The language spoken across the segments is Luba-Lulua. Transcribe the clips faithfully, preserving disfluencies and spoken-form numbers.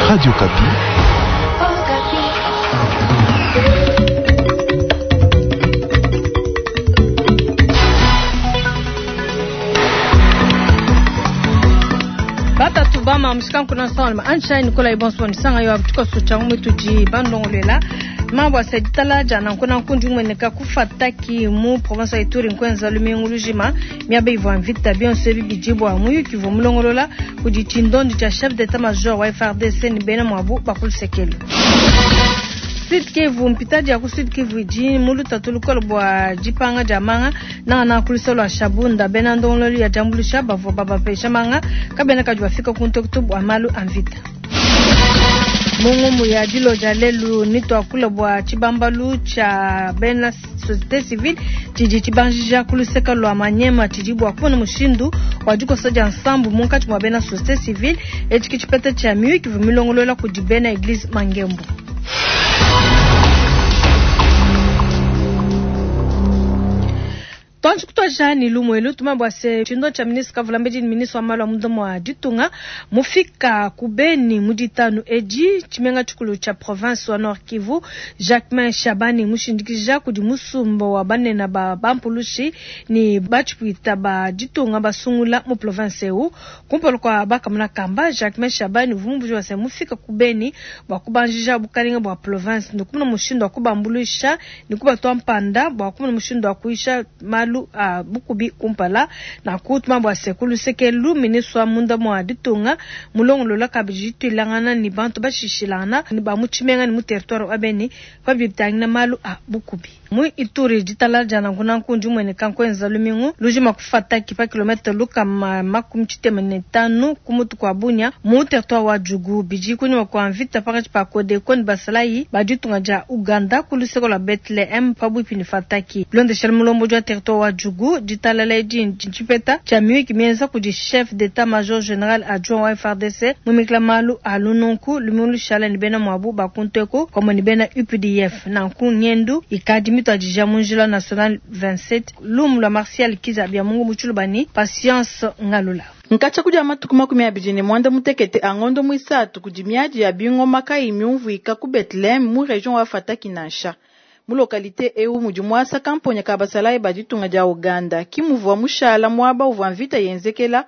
Radio Okapi. Batatu bama mushikanku na salma anshai nikola ibonso nisanga yo abutuka socha mutudi bandongolela mambo asaditala jana nkuna nkundi umweneka kufataki mu province ya Ituri nkwenza lumingu lujima miaba ivua mvita bionso ebi bidibwa muyuki uvua mulongolola kudi tshindondi tshia chef d'état major wa F R D C ni bena mwabu bakulusekelu. Sud Kivu mpitaji ya ku Sud Kivu idi mu lutatu lukolo bua dipanga dia manga nanga na kulisa lwa Shabunda bena ndongololi ya jambulusha bavua babapesha manga kabena kadi bafika ku ntokutu bua malu a mvita. Mungu ya dilo ja lelu nitwa kula bua tshibambalu tshia bena société civile tshidi tshibanjija kuluseka lwa Manyema tshidi bua kubona mushindu wa dikosa dia nsambu munkatshi mua bena société civile etshi tshipeta tshia miyuki milongolola kudi bena église Mangembo. Tonji kutoja ni lumwelu tumabwa se chindo cha ministre Kavulambedi ni ministre wa malu a mudomo wa ditunga mufika kubeni muditanu edi chimenga chikulu cha province wa Nord Kivu Jacquemain Shabani mushindikija kudi musumba wa banena ba bampulushi ni bachipwita ba ditunga basungula mu province eu kumpolo kwa bakamuna kamba Jacquemain Shabani vumbuji wa se mufika kubeni bwa kubanjija bukalinga bwa province ndukumuna mushindo wa kubambulisha ni kubatwa mpanda bwa kumuna mushindo wa kuisha malu a bukubi kumpala na kutuma bwa sekulu sekelu ministre wa munda mwa ditunga mulongolola kabidi twilangana ni bantu bashishilana ni ba muchimenga ni mu territoire wa Beni pabitangina malu a bukubi mu Ituri ditala jana nguna nkunji mwene kankwenza lumingu lujima kufata kipa kilometre luka ma, makumi tshitema ne tanu kumutu kwa Bunia mu territoire wa Djugu biji kunyuma kwa mvita pakati pa Kodeko ni basalayi ba ditunga ja Uganda kuluseko la Bethlehem pabwipi ni Fataki bilondeshela mulombo jwa territoire wa Djugu ditalala edi ntshipeta tshia miyuki mienza kudi chef d'état-major général adjoint wa F R D C mumikila malu a lununku lumingu lushala ni bena mwabu bakunteko komo ni bena U P D F nanku nyendu ikadi mitwadija munjila national vingt-sept lumu lwa Martial Kiza bya Mungu muchulubani Patience Ngalula. Nkacha kuja matuku makumi abidi ne mwanda mutekete angondo mwisatu kudi miadi ya bingoma kayi myumvuika ku Bethlehem mu region wa Fataki nansha. Mu localité eu mudi mwasa kamponya ka basalayi ba ditunga dia Uganda kimuvua mushala mwaba uvua mvita yenzekela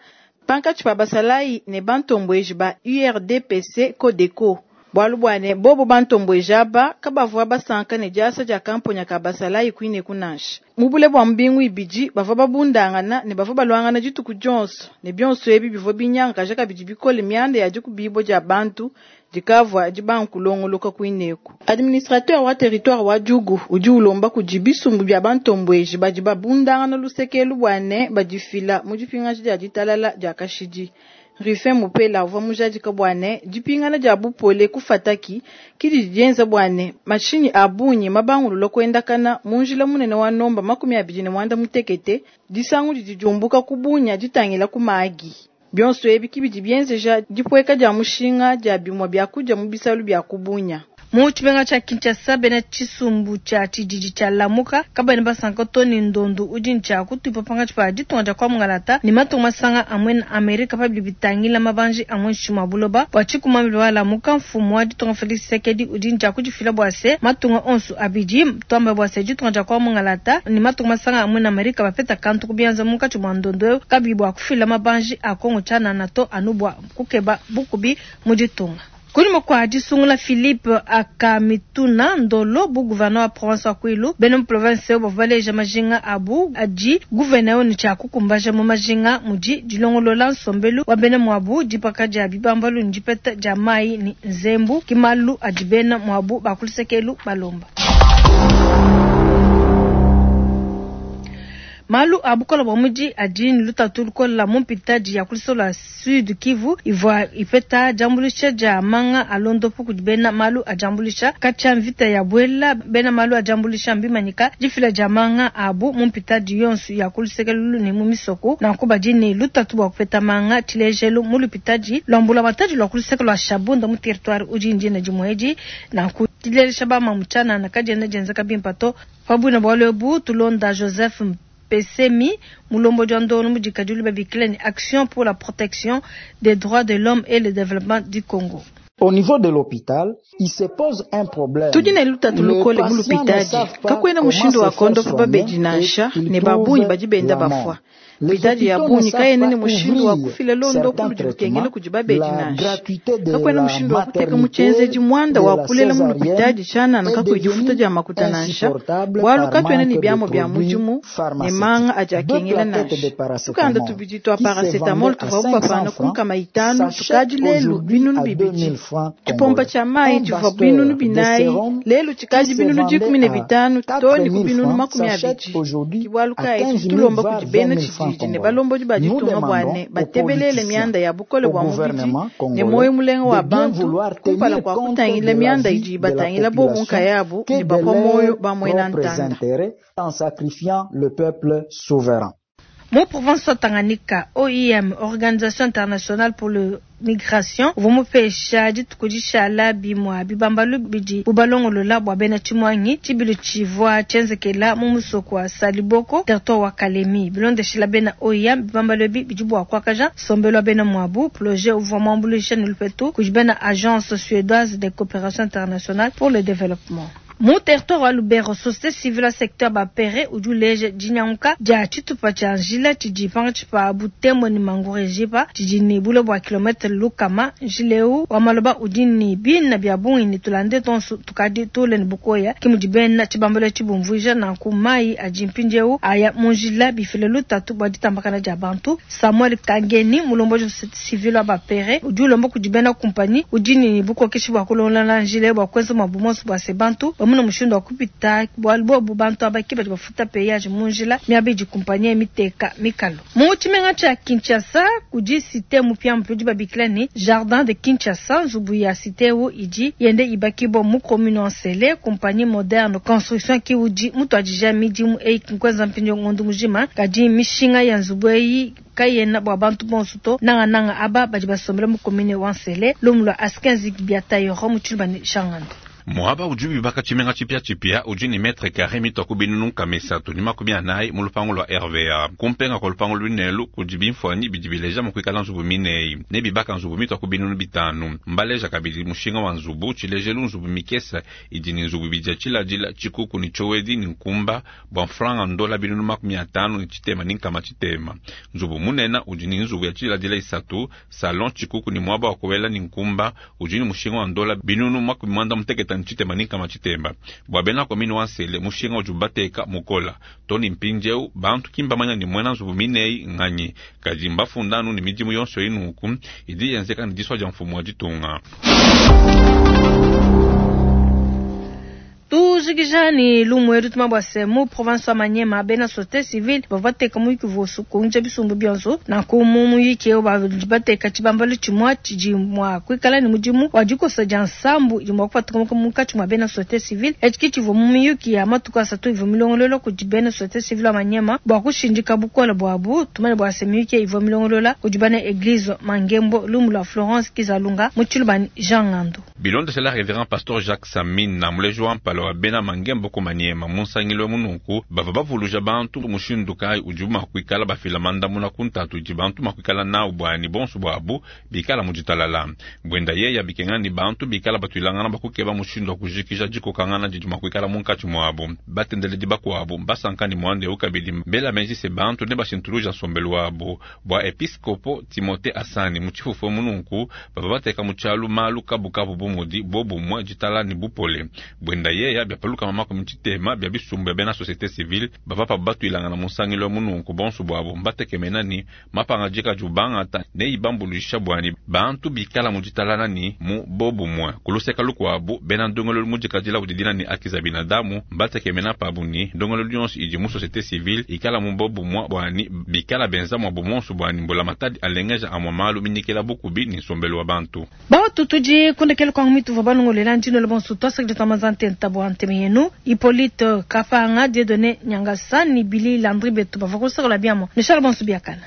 pankatshi pa basalayi ne bantombweji ba U R D P C Codeco. Bwalu bwane bobo bantombweji aba kabavua basanka ne diasa dia kamponya ka basalayi kwine kunansha. Mubule bwa mbingu ibidi bavua babundangana ne bavua balwangana dituku dionso ne bionso ebi bivua binyanga kabidi bikole mianda ya dikubibo dia bantu dikavua dibankulongoloka kwineku. Administrateur wa territoire wa Djugu udi ulomba kudi bisumbu bya bantombweji badi babundangana lusekelu bwane badifila mu dipingaji dia ditalala dia kashidi. Rufin Mupela uvua mujadika bwane dipingana dia bupole kufataki kidi dienza bwane mashinyi abunyi mabangululo kwendakana munjila munene wa nomba makumi abidi ne mwanda mutekete disangu didi diumbuka kubunya ditangila kumagi. Bionso ebi kibidi bienzeja dipweka dia mushinga dia bimwa bya kudia mu bisalu bya kubunya. Mu tshimenga tshia Kinshasa bena tshisumbu tshia tshididi tshia Lamuka kabene basanka Tony Ndondo udi ntshia kutupa pankatshi pa ditunga dia kwa Mungalata ne matunga masanga amwe na Amerika pabidi bitangila mabanji amwe nshima buloba bua tshikumambi wa Lamuka mfumu wa ditunga Felix Tshisekedi udi ntshia kudifila bua se matunga onso abidi twamba bua se ditunga dia kwa Mungalata ne matunga masanga amwe na Amerika bapeta kantu kubianza munkatshi mwa Ndondo kabi bua kufila mabanji a Kongo tshianana to anu bua kukeba bukubi mu ditunga. Kunyuma kwa disungula Philippe Akamituna Ndolo bu gouverneur wa province wa Kwilu bena mu province bavua baleja majinga abu adi gouverneur ni tshia kukumbaja mu majinga mudi dilongolola nsombelu wa bena mwabu dipaka dia bibambalu ni dipeta dia mayi ni nzembu kimalu adi bena mwabu bakulusekelu balomba. Malu a bukola bwa mudi adi ni lutatu lukola mu mpitadi ya kulisola Sud Kivu ivua ipeta jambulisha dia manga alondopo kudi bena malu a jambulisha katshia mvita ya bwela bena malu a jambulisha mbimanyika difila dia manga abu mu mpitadi yonso ya kulisekelulu ne mu misoko na kubadi ni lutatu bwa kupeta manga tshilejelu mu lupitadi lwambula matadi lwa kulisekelo lwa Shabunda mu territoire udi ndina dimwedi na kutilelesha ba mamuchana na kadiena dienzeka bimpa to pabwina bwa lwebu tulonda Joseph Pesemi Mulombo Djando Mudikadulu Babikile ni Action pour la protection des droits de l'homme et le développement du Congo. Au niveau de l'hôpital, il se pose un problème. Tudi ne lutatu lukole mu lupitadi kakwena mushindu wa kondopa babedi nansha ne babunyi badi benda bafua. Pitadi ya bunyi kayena ne mushindu wa kufila londopu ludi lukengela kudi babedi nansha. Kakwena mushindu wa kuteka mu tshienzedi muanda wa kulela mu lupitadi tshianana kakuyi difuta dia makuta nansha. Bualu katuena ne biamua bia mudimu ne manga adi akengela nansha. Tukanda tubidi twa paracetamol tuvua bapana ku nkama itanu tukadi lelu binunu bibidi. Tshipompa tshia mayi tshivua binunu binayi lelu tshikadi binunu dikumi ne bitanu too ne ku binunu makumi abidi. Ke bualu kayi tudi tulomba kudi bena tshididi ne balombodi ba ditunga bua ne batebelele mianda ya bukole bua mubidi ne muoyo mulenga wa bantu kumpala kua kutangila mianda idi ibatangila bobu nkayabu ne bapua muoyo ba muena ntanda. En sacrifiant le peuple souverain. Mu province wa Tanganyika, O I M, Organisation Internationale pour le Migration, uvua mupesha dituku dishala bimua bibambalu bidi bubalongolola bua bena tshimuangi tshibilu tshivua tshienzekela mu musoko wa Saliboko, territoire wa Kalemi. Bilondeshila bena O I M, bibambalu ebi bidi bua kuakaja nsombelu wa bena muabu. Projet uvua muambuluisha ne lupetu kudi bena Agence suédoise de coopération internationale pour le développement. Mu territoire wa Lubero, société civile secteur bapere udi uleja dinyanguka dia tshitupa tshia njila tshidi pankatshi pa Butembo ne Mangurejipa tshidi ne bule bua kilometre lukama. Njila eu wa maloba udi ne bina bia bungi ne tulande tonso tukadi tule ne bukoya ke mudi bena tshibambalo tshibumvuija nanku mayi adi mpindieu aya mu njila bifile lutatu bua ditambakana dia bantu. Samuel Kangeni, mulombodi wa société civile wa bapere, udi ulomba kudi bena kumpanyi udi ne bukokeshi bua kulondola njila bua kuenza muabu monso bua se bantu bamuna mushindu wa kupita bualu bobu bantu abaki badi bafuta peyaje mu njila miaba idi kumpanyi miteka mikalo. Mu tshimenga tshia Kinshasa kudi cité mupiamupia udi babikila ne Jardin de Kinshasa. Nzubu ya cité eu idi yende ibakibwa mu commune Nsele. Compagnie moderne construction ki udi mutuadija midimu eyi nkuenza mpindieu ngondo mujima kadi mishinga ya nzubu eyi kayena bua bantu bonso to nangananga aba badi basombela mu commune wa Nsele. Lumu lua Askenzi Biatayoro mu tshiluba ne Shangando. Muaba udi wibaka tshimenga tshipiatshipia udi ne metre carré mituaku binunu nkama isatu ne makumi anayi mu lupangu lua R V A. Kumpenga kua lupangu luinelu kudi bimfuanyi bidi bileja mua kuikala nzubu mineyi ne bibaka nzubu mituaku binunu bitanu. Mbaleja kabidi mushinga wa nzubu tshilejelu nzubu mikesa idi ne nzubu ibidi ya tshiladila tshikuku ne tshiowedi ne nkumba bua mfranga ndola binunu makumi atanu ne tshitema ne nkama tshitema. Nzubu munene udi ne nzubu ya tshiladila isatu salon tshikuku ne muaba wa kuwela ne nkumba udi ne mushinga wa ndola binunu makumi muanda mutekete ne tshitema ne nkama tshitema. Bua bena commune wa Nsele mushinga udi ubateka mukola toni mpindieu bantu ki mbamanya ne muena nzubu mineyi nganyi kadi mbafundanu ne midimu yonso inuku idi yenzeka ne disua dia mfumu wa ditunga. Tujikija ni lumu edu tuma bua se mu province wa Maniema bena société civile bavua bateka muyuki vosu kunja bisumbu bionso nanku mu muyuki eu badi bateka tshibambalu tshimue tshidi mua kuikala ne mudimu wa dikosa dia nsambu idi mua kupatuka munkatshi mua bena société civile. Etshi ke tshivua mu miyuki ya matuku asatu ivua milongolola kudi bena société civile wa Maniema bua kushindika bukole buabu. Tumanye bua se miyuki ivua milongolola kudi bana église Mangembo lumu lua Florence Kizalunga mu tshiluba ne Jean Ngando. Bilondeshela révérend pasteur Jacques Samine na muleji wa mpala wa bena Mangembo ku Maniema mu nsangilo mununku bava bavuluja bantu mushindu kayi udi mua kuikala bafila mandamuna ku ntatu idi bantu mua kuikala nawu buani bonso buabu bikala mu ditalala. Buenda yeya bikenga ni bantu bikala batuilangana bakukeba mushindu wa kujikija dikokangana didi mua kuikala munkatshi muabu. Batendeledi bakuabu basanka ni muanda eu kabidi mbela meji se bantu ne bashintuluja nsombelu wabu. Bua episkopo Timothée Asani mu tshifufu mununku bava bateka mu tshialu malu kabukabu bu mudi bobumue ditala ni bupole. Buenda yeya byapaluka makumi tshitema bya bisumbu bya bena société civile bava pa batuilangana mu nsangilo mununku bonso buabu mbatekemena ni mapanga dika jubangata ne ibambuluisha buani bantu bikala mu ditalana ni mu bobumue. Kuluseka lukuabu bena ndongolo mudikadila udidina ni akiza binadamu mbatekemena pabu ni ndongolo lyonso idi mu société civile ikala mu bobumue buani bikala benza mwa bumonso buani mbola matadi alengeja amwa malu minyikela bukubi ni nsombelu wa bantu. Batu tudi kundekela kwa mitu va balongolela ndino le bonso twasakidila twamazante ntabo anteme yenu Hippolyte Kafanga Dieudonné Nyangasa ni Billy Landry Betu bava kusakola biamo ne shala bonso biakana.